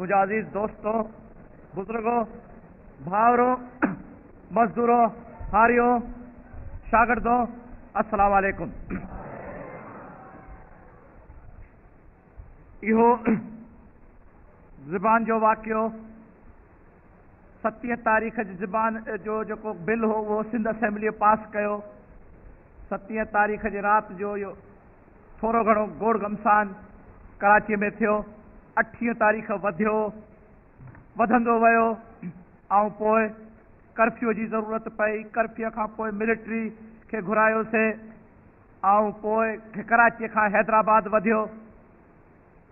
منهنجا عزيز دوستو، بزرگو، ڀائرو، مزدورو، هاريو، شاگردو، السلام عليڪم. اهو زبان جو واقعو ستين تاريخ جي زبان جو جيڪو بل هو اهو سنڌ اسيمبليء پاس ڪيو. ستين تاريخ جي رات جو اهو ٿورو گهڻو گوڙ گهمسان ڪراچيء ۾ ٿيو. اٺين تاريخ وڌيو، وڌندو ويو ۽ پوء ڪرفيو جي ضرورت پئي. ڪرفيو کان پوء ملٽري کي گهرايوسي ۽ پوء ڪراچيء کان حيدرآباد وڌيو.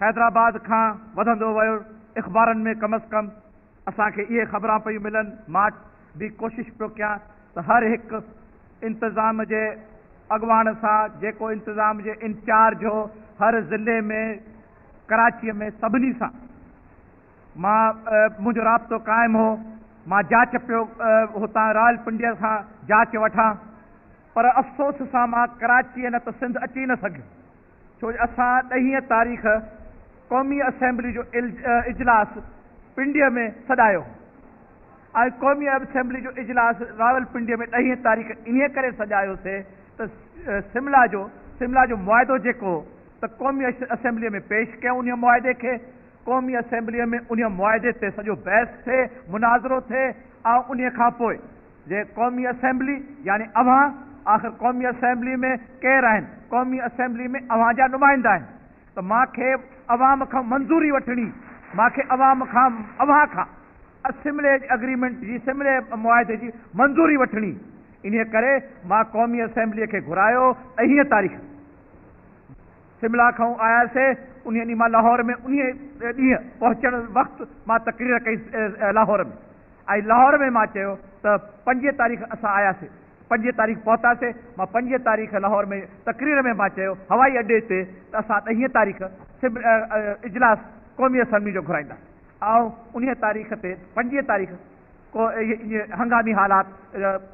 حيدرآباد کان وڌندو ويو. اخبارن ۾ ڪم از ڪم اسان کي اهي خبران پيون ملن. مان به ڪوشش پيو ڪيان ته هر هڪ انتظام جي اڳواڻ سان جيڪو انتظام جي انچارج هو هر ضلعي ۾ ڪراچيء ۾ سڀني سان مان منهنجو رابطو قائم هو. مان جاچ پيو هتان راولپنڊيء کان جاچ وٺان پر افسوس سان مان ڪراچيء نه ته سنڌ اچي نه سگهيس. ڇو جو اسان ڏهين تاريخ قومي اسيمبلي جو اجلاس پنڊيء ۾ سڏايو هو ۽ قومي اسيمبلي جو اجلاس راولپنڊيء ۾ ڏهين تاريخ انهيء ڪري سڏايوسي ته سملا جو سملا جو معاهدو جيڪو هو ته قومي اسيمبليء ۾ پيش ڪيون انهيء معاهدي کي قومي اسيمبليء ۾ انهيء معاهدي تي سڄو بحث ٿئي مناظرو ٿئي ۽ انهيء کان پوء جي قومي اسيمبلي يعني اوهان، آخر قومي اسيمبلي ۾ ڪير آهن؟ قومي اسيمبلي ۾ اوهان جا نمائندا آهن ته مان کي عوام کان منظوري وٺڻي، مان کي عوام کان اوهان کان اسيمبلي اگريمينٽ جي اسيمبلي معاهدي جي منظوري وٺڻي، انهيء ڪري مان قومي اسيمبلي کي گهرايو ڏهين تاريخ. سملا کان آياسي، انهيء ڏينهن مان لاهور ۾ انهيء ڏينهن پهچڻ وقت مان تقرير ڪئي لاهور ۾ ۽ لاهور ۾ مان چيو ته پنجين تاريخ اسان آياسي، پنجين تاريخ پهتاسي، مان پنجين تاريخ لاهور ۾ تقرير ۾ مان چيو هوائي اڏي تي ته اسان ڏهين تاريخ اجلاس قومي اسيمبلي جو گهرائينداسين ۽ انهيء تاريخ تي پنجين تاريخ ڪو اهي هنگامي حالات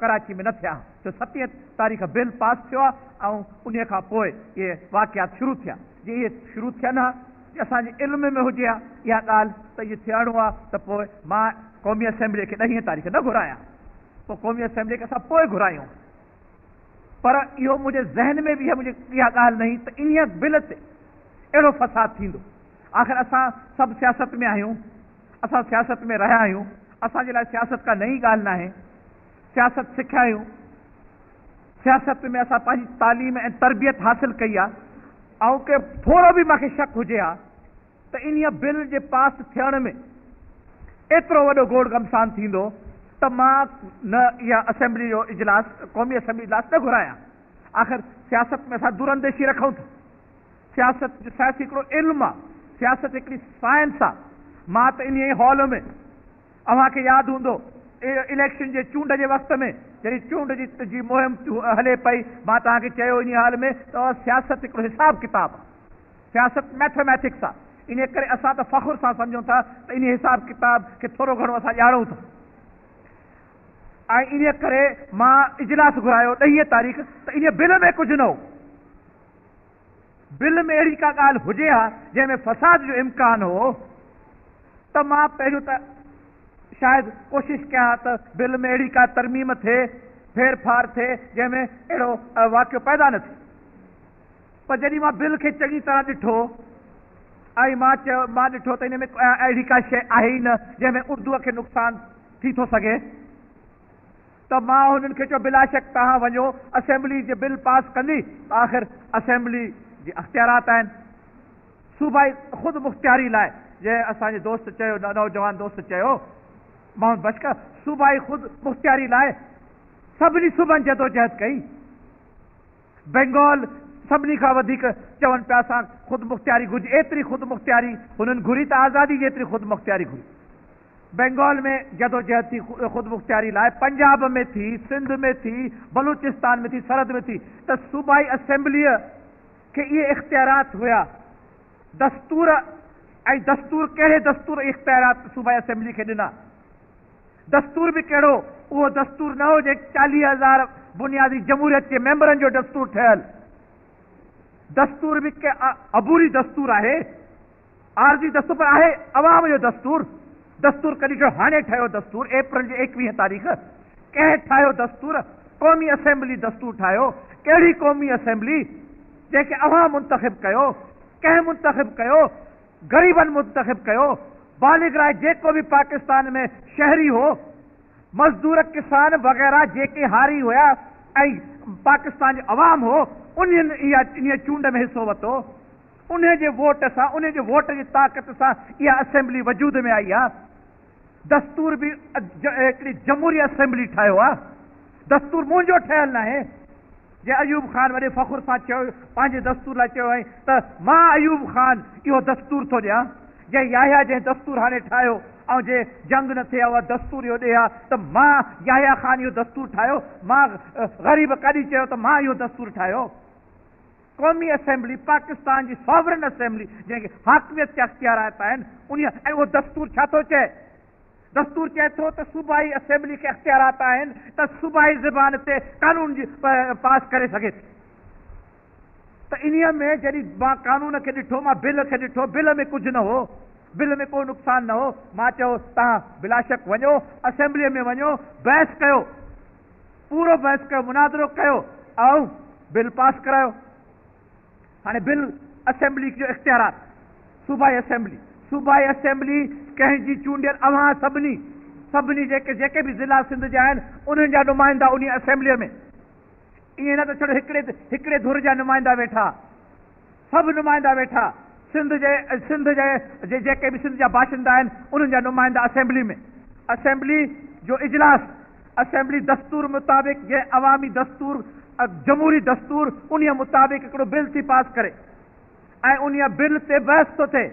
ڪراچي ۾ نه ٿيا ها ڇو ستين تاريخ بل پاس ٿيو آهي ۽ انهي کان پوء اهي واقعات شروع ٿيا جي اهي شروع ٿين ها جي اسان جي علم ۾ هجي ها اها ڳالهه ته اهي ٿيڻو آهي ته پوء مان قومي اسيمبلي کي ڏهين تاريخ نه گهرايان پوء قومي اسيمبلي کي اسان پوء گهرايون پر اهو منهنجي ذهن ۾ به منهنجي اها ڳالهه نه هئي ته انهي بل تي اهڙو فساد ٿيندو آخر اسان سڀ سياست ۾ آهيون اسان سياست ۾ رهيا آهيون، اسان جي لاء سياست ڪا نئين ڳالهه ناهي، سياست سکيا آهيون، سياست ۾ اسان پنهنجي تعليم ۽ تربيت حاصل ڪئي آهي، آئون ڪي ٿورو به مان کي شڪ هجي ها ته انهيء بل جي پاس ٿيڻ ۾ ايترو وڏو گوڙ گهمسان ٿيندو ته مان نه اها اسيمبلي جو اجلاس قومي اسيمبلي اجلاس نه گهرايان، آخر سياست ۾ اسان دورانديشي رکون ٿا. سياست جو سياسي هڪڙو علم آ، سياست هڪڙي سائنس آ. مان ته انهيء هال ۾ اوهان کي ياد هوندو اليڪشن جي چونڊ جي وقت ۾ جڏهن چونڊ جي جي مهم هلي پئي مان توهان کي چيو انهيء هال ۾ ته سياست هڪڙو حساب ڪتاب آ، سياست ميٿميٽڪس آ. انهيء ڪري اسان ته فخر سان سمجهون ٿا ته انهيء حساب ڪتاب کي ٿورو گهڻو اسان ڄاڻون ٿا. ۽ انهيء ڪري مان اجلاس گهرايو ڏهين تاريخ ته انهيء بل ۾ ڪجهه نه هو. بل ۾ اهڙي ڪا ڳالهه هجي ها جنهن ۾ فساد جو امڪان هو ته مان پهريون ته شايد ڪوشش ڪيان ها ته بل ۾ اهڙي ڪا ترميم ٿئي، ڦير ڦار ٿئي جنهن ۾ اهڙو واقعو پيدا نه ٿئي. پر جڏهن مان بل کي چڱي طرح ڏٺو ۽ مان چيو مان ڏٺو ته ان ۾ اهڙي ڪا شيء آهي ئي نه جنهن ۾ اردوء کي نقصان ٿي ٿو سگهي. ته مان هنن کي چيو بلاشڪ توهان وڃو اسيمبلي جي بل پاس ڪندي ته آخر اسيمبلي جي اختيارات آهن صوبائي خود مختياري لاء جنهن اسان جي دوست چيو نوجوان دوست چيو محمد بشڪ صوبائي خود مختياري لاء سڀني صوبن جدوجهد ڪئي بينگال سڀني کان وڌيڪ چون پيا اسان خود مختياري گهرجي ايتري خود مختياري هنن گهري ته آزادي جيتري خود مختياري گهري بينگال ۾ جدوجهد ٿي خودمختياري لاء، پنجاب ۾ ٿي، سنڌ ۾ ٿي، بلوچستان ۾ ٿي، سرحد ۾ ٿي ته صوبائي اسيمبليء کي اهي اختيارات هيا. دستور ۽ دستور ڪهڙي دستور اهي اختيارات صوبائي اسيمبلي کي ڏنا؟ دستور به ڪهڙو؟ اهو دستور نه هو جنهن 40,000 بنيادي جمهوريت جي ميمبرن جو دستور ٺهيل. دستور به ڪي عبوري دستور آهي. عارضي دستور پر آهي عوام جو دستور. دستور ڪڏهن ٺهيو؟ هاڻي ٺهيو دستور اپريل جي 21 تاريخ. ڪنهن ٺاهيو دستور؟ قومي اسيمبلي دستور ٺاهيو. ڪهڙي قومي اسيمبلي؟ جنهن کي اوهان منتخب ڪيو. ڪنهن منتخب ڪيو؟ غريبن منتخب ڪيو. بالغ راء جيڪو به پاڪستان ۾ شهري هو، مزدور، ڪسان وغيره جيڪي هاري هيا ۽ پاڪستان جو عوام هو، انهن اها انهيء چونڊ ۾ حصو ورتو. انهيء جي ووٽ سان، انهيء جي ووٽ جي طاقت سان اها اسيمبلي وجود ۾ آئي آ. دستور به هڪڙي جمهوري اسيمبلي ٺاهيو آ. دستور منهنجو ٺهيل ناهي. جي ايوب خان وڏي فخر سان چيو، پنهنجي دستور لاء چيو هئائين ته مان ايوب خان اهو دستور ٿو ڏيان. جي يحيٰ جنهن دستور هاڻي ٺاهيو ۽ جي جنگ نه ٿئي ها اها دستور اهو ڏي ها ته مان يحيٰ خان اهو دستور ٺاهيو. مان غريب ڪڏهن چيو ته مان اهو دستور ٺاهيو. قومي اسيمبلي پاڪستان جي ساورن اسيمبلي جنهن کي حاڪميت جا اختيارات آهن انهيء ۽ اهو دستور ڇا ٿو چئي؟ دستور چئي ٿو ته صوبائي اسيمبلي کي اختيارات آهن ته صوبائي زبان تي قانون جي پاس ڪري سگهي ٿي. ته انهيء ۾ جڏهن مان قانون کي ڏٺو، مان بل کي ڏٺو، بل ۾ ڪجهه نه هو، بل ۾ ڪو نقصان نه هو، مان چيو توهان بلاشڪ وڃو اسيمبليء ۾ وڃو بحث ڪيو، پورو بحث ڪيو، مناظرو ڪيو ۽ بل پاس ڪرايو. هاڻي بل اسيمبلي جو اختيارات، صوبائي اسيمبلي، صوبائي اسيمبلي ڪنهن جي چونڊيل اوهان سڀني، سڀني جيڪي جيڪي به ضلعا سنڌ جا آهن انهن جا نمائندا انهي اسيمبليء ۾، ائين نه ته ڇڙو هڪڙي هڪڙي ڌر جا نمائندا ويٺا، سڀ نمائندا ويٺا، سنڌ جي سنڌ جي جيڪي به سنڌ جا باشندا آهن انهن جا نمائندا اسيمبلي ۾، اسيمبلي جو اجلاس، اسيمبلي دستور مطابق جنهن عوامي دستور جمهوري دستور انهيء مطابق هڪڙو بل ٿي پاس ڪري ۽ انهيء بل تي بحث ٿو ٿئي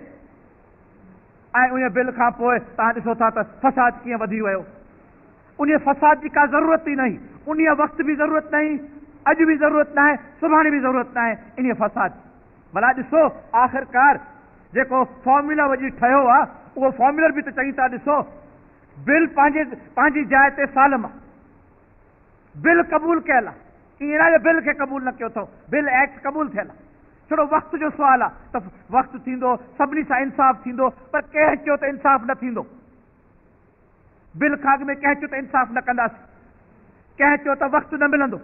۽ انهيء بل کان پوء توهان ڏسو ٿا ته فساد ڪيئن وڌي ويو. انهيء فساد جي ڪا ضرورت ئي نه هئي. انهيء وقت به ضرورت نه هئي، اڄ به ضرورت ناهي، سڀاڻي به ضرورت ناهي انهيء فساد جي. ڀلا ڏسو آخرڪار جيڪو فارمولا وڄي ٺهيو آ، اهو فارمولر به ته چڱي طرح ڏسو. بل پنهنجي پنهنجي جاء تي سالم آ. بل قبول ڪيل آ. ائين ناهي جو بل کي قبول نه ڪيو اٿئون، بل ايڪٽ قبول ٿيل آ. ڇڙو وقت جو سوال آ ته وقت ٿيندو، سڀني سان انصاف ٿيندو، پر ڪنهن چيو ته انصاف نه ٿيندو؟ بل کان اڳ ۾ ڪنهن چيو ته انصاف نه ڪنداسين؟ ڪنهن چيو ته وقت نه ملندو؟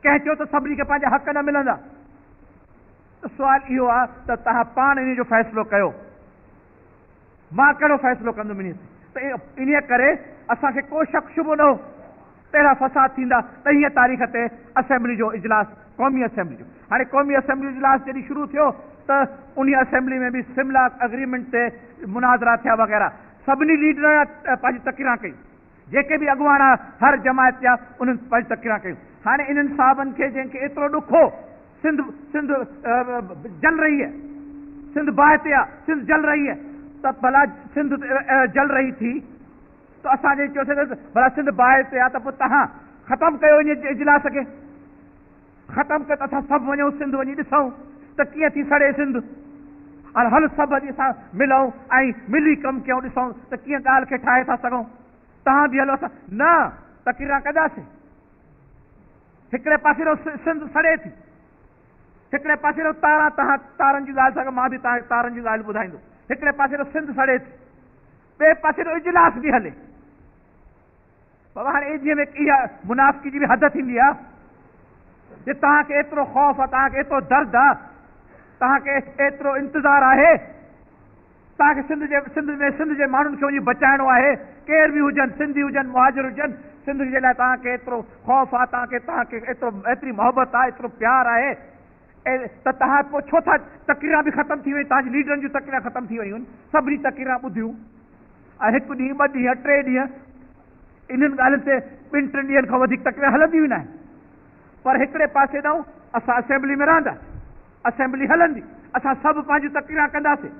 ڪنهن چيو ته سڀني کي پنهنجا حق نه ملندا؟ ته سوال اهو آ ته توهان پاڻ انهي جو فيصلو ڪيو. مان ڪهڙو فيصلو ڪندم انهيء تي؟ ته انهيء ڪري اسان کي ڪو شڪ شبهو نه هو ته اهڙا فساد ٿيندا. ڏهينء تاريخ تي اسيمبلي جو اجلاس، قومي اسيمبلي جو، هاڻي قومي اسيمبلي جو اجلاس جڏهن شروع ٿيو ته انهيء اسيمبلي ۾ به سملا اگريمينٽ تي مناظرا ٿيا وغيره. سڀني ليڊرن پنهنجي تقريران ڪئي. جيڪي به اڳواڻ هر جماعت جا انهن پنهنجي تقريران ڪيون. هاڻي انهن صاحبن کي جنهن کي ايترو ڏک هو، سنڌ سنڌ جل رهي هي، سنڌ باهه تي آ، سنڌ جل رهي هي ته ڀلا سنڌ جل رهي ٿي ته اسان جي چيوسين ته ڀلا سنڌ باهه تي آ ته پوء توهان ختم ڪيو ان اجلاس کي، ختم ڪيو ته اسان سڀ وڃون سنڌ وڃي ڏسون ته ڪيئن ٿي سڙي سنڌ، هل هل سڀ اڄ اسان ملون ۽ ملي ڪم ڪيون ڏسون ته ڪيئن ڳالهه کي ٺاهي ٿا سگهون، توهان به هلو اسان نه تقريران ڪنداسين. هڪڙي پاسي رو سنڌ سڙي ٿي، هڪڙي پاسي رو تاران تهان تارن جي ڳالهه ٿا مان به توهان کي تارن جي ڳالهه ٻڌائيندو، هڪڙي پاسي رو سنڌ سڙي ٿي، ٻئي پاسي رو اجلاس به هلي. بابا هاڻي ايجهي ۾ اها منافقي جي به حد ٿيندي آ. جي توهان کي ايترو خوف آ، توهان کي ايترو درد آ، توهان کي ايترو انتظار آهي، توهان کي سنڌ جي سنڌ ۾ سنڌ جي ماڻهن کي وڃي بچائڻو آهي، ڪير به هجن، سنڌي هجن، مهاجر هجن، سنڌ جي لاء توهان کي ايترو خوف آ، توهان کي توهان کي ايترو ايتري محبت آ، ايترو پيار آهي ته توهان پوء ڇو ٿا تقريران به ختم ٿي ويون، توهان جي ليڊرن جون تقريران ختم ٿي ويون، سڀني تقريران ٻڌيون ۽ هڪ ڏينهن، ٻه ڏينهن، ٽي ڏينهن انهن ڳالهين تي ٻن ٽن ڏينهن کان وڌيڪ تقريران هلنديون ئي ناهن. پر هڪڙي پاسي ڏانهن اسان اسيمبلي ۾ رهنداسين، اسيمبلي هلندي، اسان سڀ پنهنجون تقريران ڪنداسين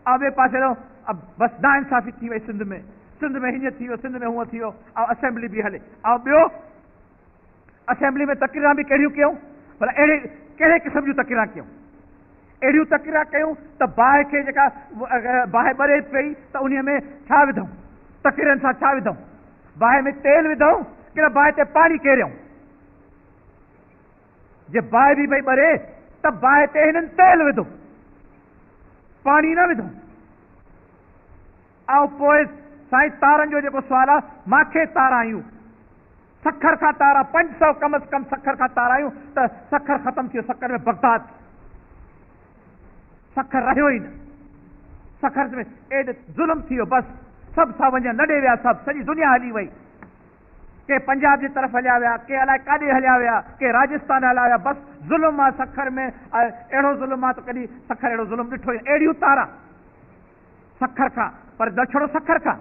۽ ٻئي پاسي ڏانهن بس ناانصافي ٿي وئي سنڌ ۾، سنڌ ۾ هيئن ٿي ويو، سنڌ ۾ هونئن ٿي ويو ۽ اسيمبلي به هلي ۽ ٻيو اسيمبلي ۾ تقريران به ڪهڙيون ڪيون، ڀلا اهڙي ڪهڙي قسم جون تقريران ڪيون، اهڙيون تقريران ڪيون ته باهه کي جيڪا باهه ٻري پئي ته انهي ۾ ڇا وڌئون، تقريرن سان ڇا وڌئون، باهه ۾ تيل وڌئون ڪي نه باهه تي پاڻي ڪيريائون، جي باهه به پئي ٻري ته باهه تي هنن تيل وڌو. پاڻي نه وڌو. ۽ پوء سائين تارن جو جيڪو سوال آ، مانکي تار آيون سکر کان تارا 500 ڪم از ڪم سکر کان تار آيون ته سکر ختم ٿي ويو، سکر ۾ بغداد ٿي ويو، سکر رهيو ئي نه، سکر ۾ ايڏ ظلم ٿي ويو، بس سڀ ٿا وڃن، لڏي ويا سڀ، سڄي دنيا هلي وئي، ڪي پنجاب جي طرف هليا ويا، ڪي الائي ڪاڏي هليا ويا، ڪي راجستان هليا ويا، بس ظلم آ سکر ۾، اهڙو ظلم آ ته ڪڏهن سکر اهڙو ظلم ڏٺو ئي نه، اهڙيون تارا. سکر کان پر نه ڇڙو سکر کان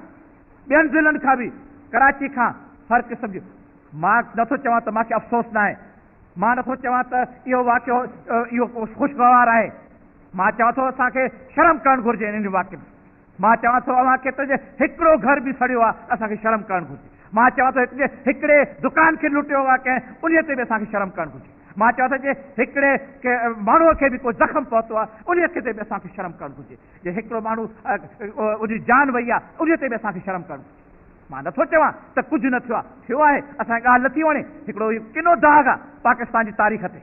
ٻين ضلعن کان به ڪراچي کان هر قسم جي مان نٿو چوان ته مانکي افسوس ناهي مان نٿو چوان ته اهو واقعو اهو خوشگوار آهي مان چوان ٿو اسان کي شرم ڪرڻ گهرجي انهن واقعن مان چوان ٿو اوهان کي ته جي هڪڙو گهر به سڙيو آهي اسان کي شرم ڪرڻ گهرجي مان چوان ٿو جي هڪڙي دڪان کي لٽيو آهي ڪنهن انهي تي به اسان کي شرم ڪرڻ گهرجي مان چوان ٿو جي هڪڙي ماڻهوء کي به ڪو زخم پهتو آهي انهي کي تي به اسان کي شرم ڪرڻ گهرجي. جي هڪڙو ماڻهو ان جي جان وئي آهي انهيء تي به اسان کي شرم ڪرڻ گهرجي. مان نٿو چوان ته ڪجهه نه ٿيو آهي، ٿيو آهي، اسان کي ڳالهه نٿي وڻي، هڪڙو اهو ڪنو داغ آهي پاڪستان جي تاريخ تي.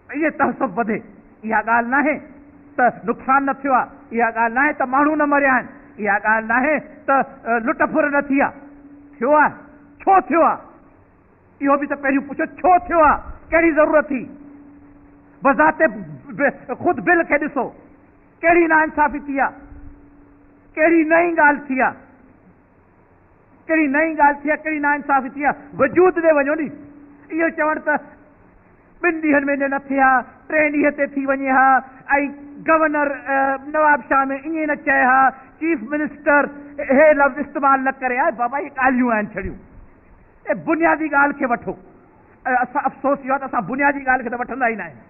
ائين تحسف وڌي، اها ڳالهه ناهي ته نقصان نه ٿيو آهي، اها ڳالهه ناهي ته ماڻهو نه مريا آهن، اها ڳالهه ناهي ته لٽ ڦر نه ٿي آهي، ٿيو آهي، ڇو ٿيو آهي؟ اهو به ته پهريون پڇو ڇو ٿيو آ؟ ڪهڙي ضرورت ٿي؟ بذات خود بل کي ڏسو ڪهڙي ناانصافي ٿي آ؟ ڪهڙي نئين ڳالهه ٿي آ؟ ڪهڙي نئين ڳالهه ٿي آ؟ ڪهڙي ناانصافي ٿي آ؟ وجود ڏي وڃو ني اهو چوڻ ته ٻن ڏينهن ۾ نه ٿئي ها، ٽئين ڏينهن تي ٿي وڃي ها ۽ گورنر نوابشاهه ۾ ائين نه چئي ها، چيف منسٽر هي لفظ استعمال نه ڪري ها، بابا اهي ڳالهيون آهن ڇڙيون. اي بنيادي ڳالهه کي وٺو. ۽ اسان افسوس اهو آهي ته اسان بنيادي ڳالهه کي ته وٺندا ئي نه آهيون.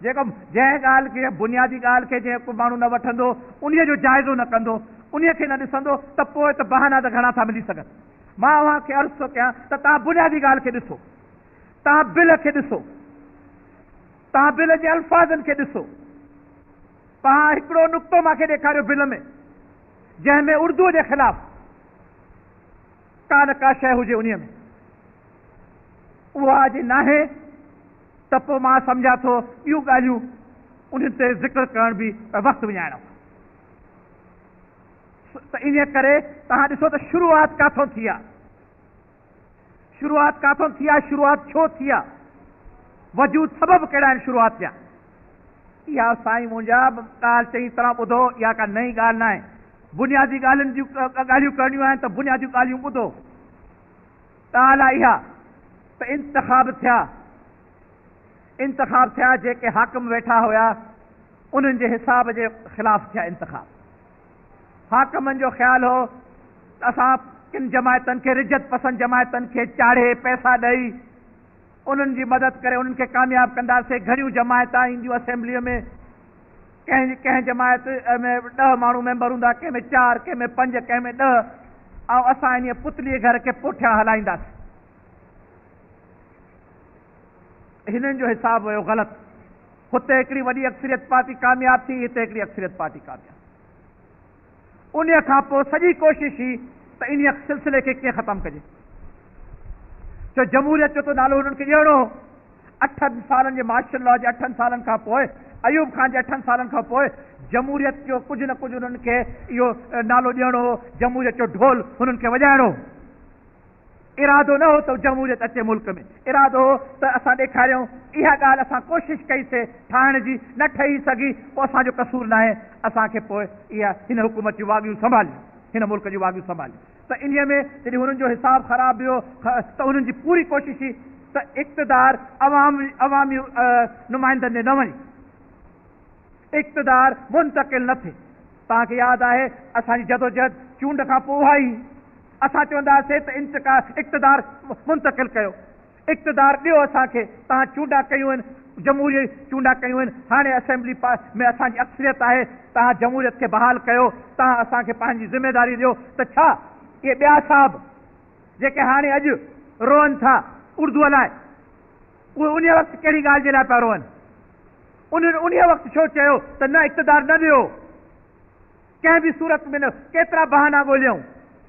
جيڪو جنهن ڳالهه کي بنيادي ڳالهه کي جيڪو ماڻهو نه وٺندو، انهيء جو جائزو نه ڪندو، انهيء کي نه ڏسندو ته پوء ته بهانا ته گهڻا ٿا ملي سگهن. مان اوهان کي عرض ٿو ڪيان ته توهان بنيادي ڳالهه کي ڏسو. توهان بل کي ڏسو. توهان بل جي الفاظن کي ڏسو. توهان هڪڙو نقطو مان کي ڏيکاريو بل ۾ جنهن ۾ اردوء جي خلاف ڪا نه ڪا شيء هجي انهيء ۾. اها جي ناهي ته پوء مان سمجهان ٿو ٻيون ڳالهيون انهن تي ذڪر ڪرڻ به وقت وڃائڻ آهي. ته انهيء ڪري توهان ڏسو ته شروعات ڪاٿون ٿي آهي. شروعات ڪاٿون ٿي آهي، شروعات ڇو ٿي آهي، وجود سبب ڪهڙا آهن شروعات جا. اها سائين منهنجا ڳالهه چڱي طرح ٻڌو، اها ڪا نئين ڳالهه ناهي. بنيادي ڳالهين جون ڳالهيون ڪرڻيون آهن ته بنياديون ڳالهيون ٻڌو. ڳالهه آهي اها ته انتخاب ٿيا، انتخاب ٿيا جيڪي حاڪم ويٺا هيا انهن جي حساب جي خلاف ٿيا انتخاب. حاڪمن جو خيال هو ته اسان ڪن جماعتن کي رجعت پسند جماعتن کي چاڙهي پئسا ڏئي انهن جي مدد ڪري انهن کي ڪامياب ڪنداسين، گهڻيون جماعتان اينديون اسيمبليء ۾ ڪنهن ڪنهن جماعت ۾ ڏهه ماڻهو ميمبر هوندا، ڪنهن ۾ چار، ڪنهن ۾ پنج، ڪنهن ۾ ڏهه ۽ اسان انهيء پتلي گهر کي پٺيان هلائينداسين. هنن جو حساب ويو غلط. هتي هڪڙي وڏي اڪثريت پارٽي ڪامياب ٿي، هتي هڪڙي اڪثريت پارٽي ڪامياب. انهيء کان پوء سڄي ڪوشش هئي ته انهيء سلسلي کي ڪيئن ختم ڪجي. ڇو جمهوريت جو ته نالو هنن کي ڏيڻو هو. اٺن سالن جي مارشل لا جي اٺن سالن کان پوء، ايوب خان جي اٺن سالن کان پوء جمهوريت جو ڪجهه نه ڪجهه هنن کي اهو نالو ڏيڻو هو، جمهوريت جو ڍول هنن کي وڄائڻو هو. ارادو نه هو ته جمهوريت اچي ملڪ ۾، ارادو هو ته اسان ڏيکاريون، اها ڳالهه اسان ڪوشش ڪئي سي ٺاهڻ جي، نه ٺهي سگهي، پوء اسان جو قصور ناهي، اسان کي پوء اها هن حڪومت جون واڳيون سنڀاليون، هن ملڪ جون واڳيون سنڀاليون ته انهيء ۾ جڏهن هنن جو حساب خراب ويو ته هنن جي پوري ڪوشش هئي ته اقتدار عوام عوامي نمائندن ڏي نه وڃي. اقتدار منتقل نه ٿئي. توهان کي ياد آهي اسان جي جدوجهد چونڊ کان پوء اها ئي هئي. اسان چوندا هئاسين ته اقتدار منتقل ڪيو، اقتدار ڏيو اسان کي، توهان چونڊا ڪيون آهن، جمهوري چونڊا ڪيون آهن، هاڻي اسيمبلي ۾ اسان جي اڪثريت آهي، توهان جمهوريت کي بحال ڪيو، توهان اسان کي پنهنجي ذميواري ڏيو ته ڇا اهي ٻيا صاحب جيڪي هاڻي اڄ روئن ٿا اردوء لاء اهي انهيء وقت ڪهڙي ڳالهه جي لاء پيا روئن؟ انهن انهيء وقت ڇو چيو ته نه اقتدار نه ڏيو؟ ڪنهن به صورت ۾ نه. ڪيترا بهانا ڳوليائون.